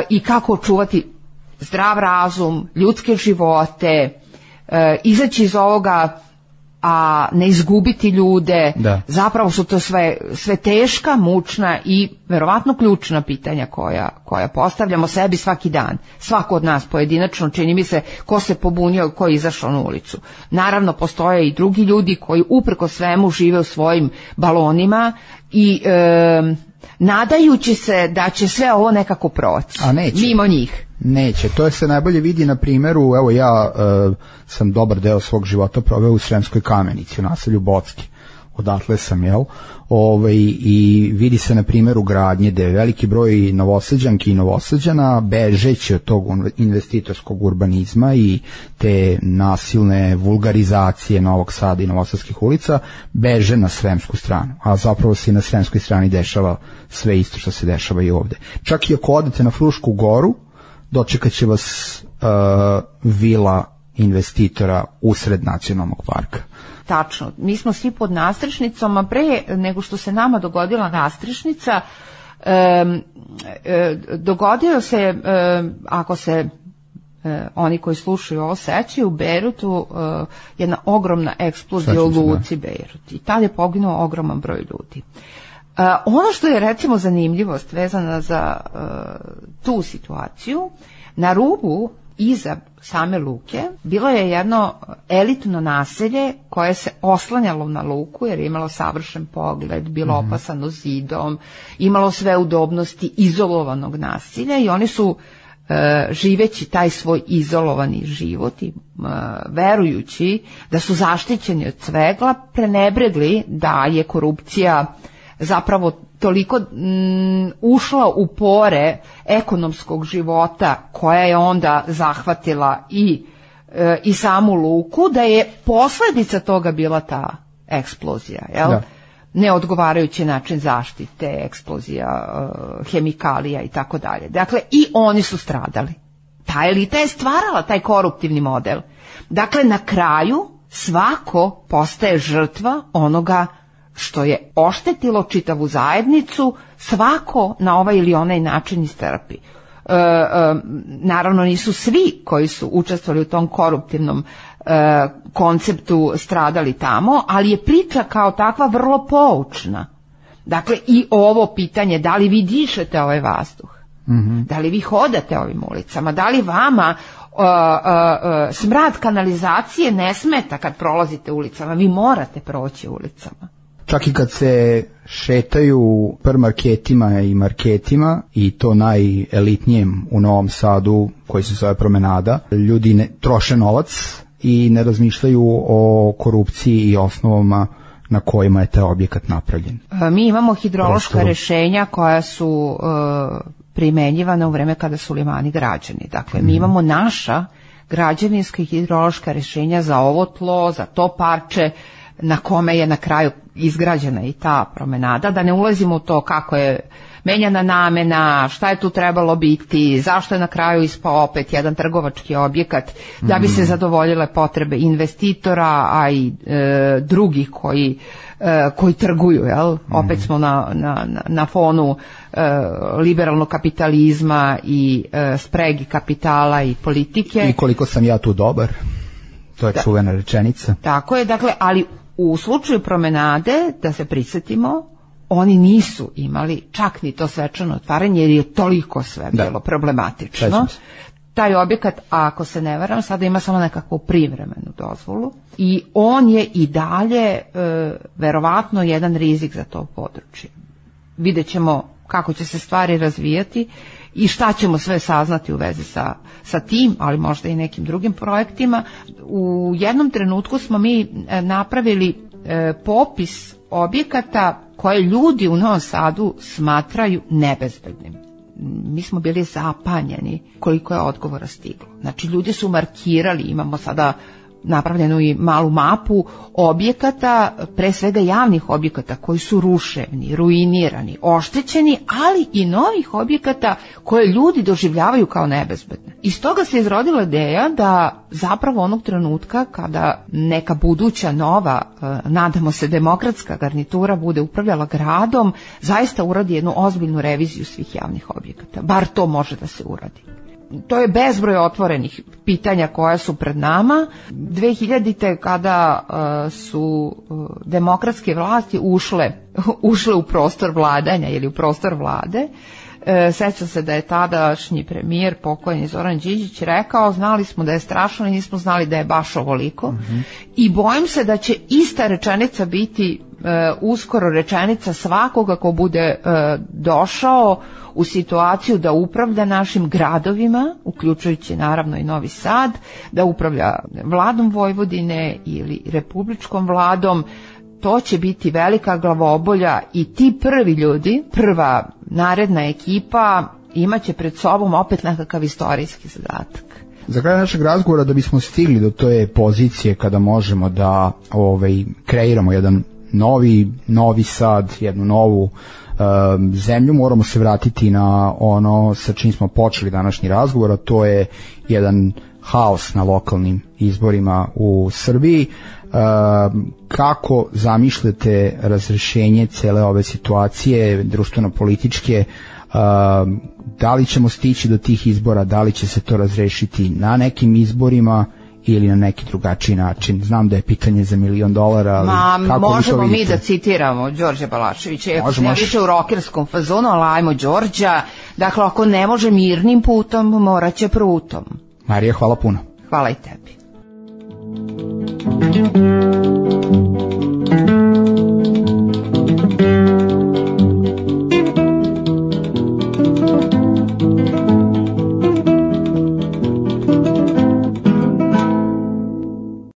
i kako očuvati zdrav razum, ljudske živote, izaći iz ovoga, a ne izgubiti ljude. Da. Zapravo su to sve teška, mučna i verovatno ključna pitanja koja postavljamo sebi svaki dan. Svako od nas pojedinačno, čini mi se, ko se pobunio, ko je izašao na ulicu. Naravno, postoje i drugi ljudi koji uprko svemu žive u svojim balonima i nadajući se da će sve ovo nekako proći. A neće. Mimo njih. Neće, to se najbolje vidi na primjeru, evo ja sam dobar deo svog života proveo u Sremskoj Kamenici, u naselju Bocki, odatle sam, i vidi se na primjeru gradnje gde je veliki broj Novosađanki i Novosađana bežeći od tog investitorskog urbanizma i te nasilne vulgarizacije Novog Sada i novosadskih ulica, beže na Sremsku stranu, a zapravo se i na Sremskoj strani dešava sve isto što se dešava i ovde. Čak i ako odete na Frušku goru, dočekat će vas vila investitora usred nacionalnog parka. Tačno. Mi smo svi pod nastrešnicom, a pre nego što se nama dogodila nastrešnica, dogodio se, ako se oni koji slušaju ovo sećaju, u Bejrutu jedna ogromna eksplozija u luci Bejrut. I tada je poginuo ogroman broj ljudi. Ono što je recimo zanimljivost vezana za tu situaciju, na rubu iza same luke bilo je jedno elitno naselje koje se oslanjalo na luku jer je imalo savršen pogled, bilo opasano zidom, imalo sve udobnosti izolovanog naselja i oni su živeći taj svoj izolovani život i verujući da su zaštićeni od svega, prenebregli da je korupcija zapravo toliko ušla u pore ekonomskog života koja je onda zahvatila i samu luku, da je posljedica toga bila ta eksplozija, jel? Da. Neodgovarajući način zaštite, eksplozija hemikalija i tako dalje. Dakle, i oni su stradali. Ta elita je stvarala taj koruptivni model. Dakle, na kraju svako postaje žrtva onoga što je oštetilo čitavu zajednicu, svako na ovaj ili onaj način istrpi. naravno nisu svi koji su učestvovali u tom koruptivnom konceptu stradali tamo, ali je priča kao takva vrlo poučna. Dakle, i ovo pitanje, da li vi dišete ovaj vazduh, da li vi hodate ovim ulicama, da li vama smrad kanalizacije ne smeta kad prolazite ulicama, vi morate proći ulicama. Čak i kad se šetaju marketima i marketima, i to najelitnijem u Novom Sadu, koji se zove Promenada, ljudi ne troše novac i ne razmišljaju o korupciji i osnovama na kojima je taj objekat napravljen. Mi imamo hidrološka rešenja koja su primenjivana u vreme kada su limani građeni. Dakle, mi imamo naša građevinska i hidrološka rešenja za ovo tlo, za to parče na kome je na kraju izgrađena i ta promenada, da ne ulazimo u to kako je menjana namena, šta je tu trebalo biti, zašto je na kraju ispao opet jedan trgovački objekat, da bi se zadovoljile potrebe investitora, a i drugih koji trguju, jel? Opet smo na fonu liberalnog kapitalizma i spregi kapitala i politike. I koliko sam ja tu dobar, to je čuvena rečenica. Tako je, dakle, ali u slučaju promenade, da se prisjetimo, oni nisu imali čak ni to svečano otvaranje, jer je toliko sve bilo problematično. Taj objekat, ako se ne varam, sada ima samo nekakvu privremenu dozvolu i on je i dalje verovatno jedan rizik za to područje. Vidjet ćemo kako će se stvari razvijati i šta ćemo sve saznati u vezi sa tim, ali možda i nekim drugim projektima. U jednom trenutku smo mi napravili popis objekata koje ljudi u Novom Sadu smatraju nebezbednim. Mi smo bili zapanjeni koliko je odgovora stiglo. Znači, ljudi su markirali, imamo sada napravljenu i malu mapu objekata, pre svega javnih objekata koji su ruševni, ruinirani, oštećeni, ali i novih objekata koje ljudi doživljavaju kao nebezbedne. Iz toga se izrodila ideja da zapravo onog trenutka kada neka buduća nova, nadamo se demokratska garnitura bude upravljala gradom, zaista uradi jednu ozbiljnu reviziju svih javnih objekata. Bar to može da se uradi. To je bezbroj otvorenih pitanja koja su pred nama. 2000. kada su demokratske vlasti ušle u prostor vladanja ili u prostor vlade, sećam se da je tadašnji premijer, pokojni Zoran Đinđić, rekao: znali smo da je strašno i nismo znali da je baš ovoliko. I bojim se da će ista rečenica biti uskoro rečenica svakoga ko bude došao u situaciju da upravlja našim gradovima, uključujući naravno i Novi Sad, da upravlja vladom Vojvodine ili republičkom vladom. To će biti velika glavobolja i ti prvi ljudi, prva naredna ekipa imaće pred sobom opet nekakav istorijski zadatak. Za kraj našeg razgovora, da bismo stigli do te pozicije kada možemo da kreiramo jedan novi Sad, jednu novu zemlju, moramo se vratiti na ono sa čim smo počeli današnji razgovor, a to je jedan haos na lokalnim izborima u Srbiji. Kako zamišljate razrešenje cele ove situacije društveno-političke? Da li ćemo stići do tih izbora, da li će se to razrešiti na nekim izborima ili na neki drugačiji način? Znam da je pitanje za $1 milion, ali kako možemo vi to vidite? Mi da citiramo Đorđa Balaševića, ako se ne više u rokerskom fazonu, ali ajmo Đorđa. Dakle, ako ne može mirnim putom, morat će prutom. Marija, hvala puno. Hvala i tebi.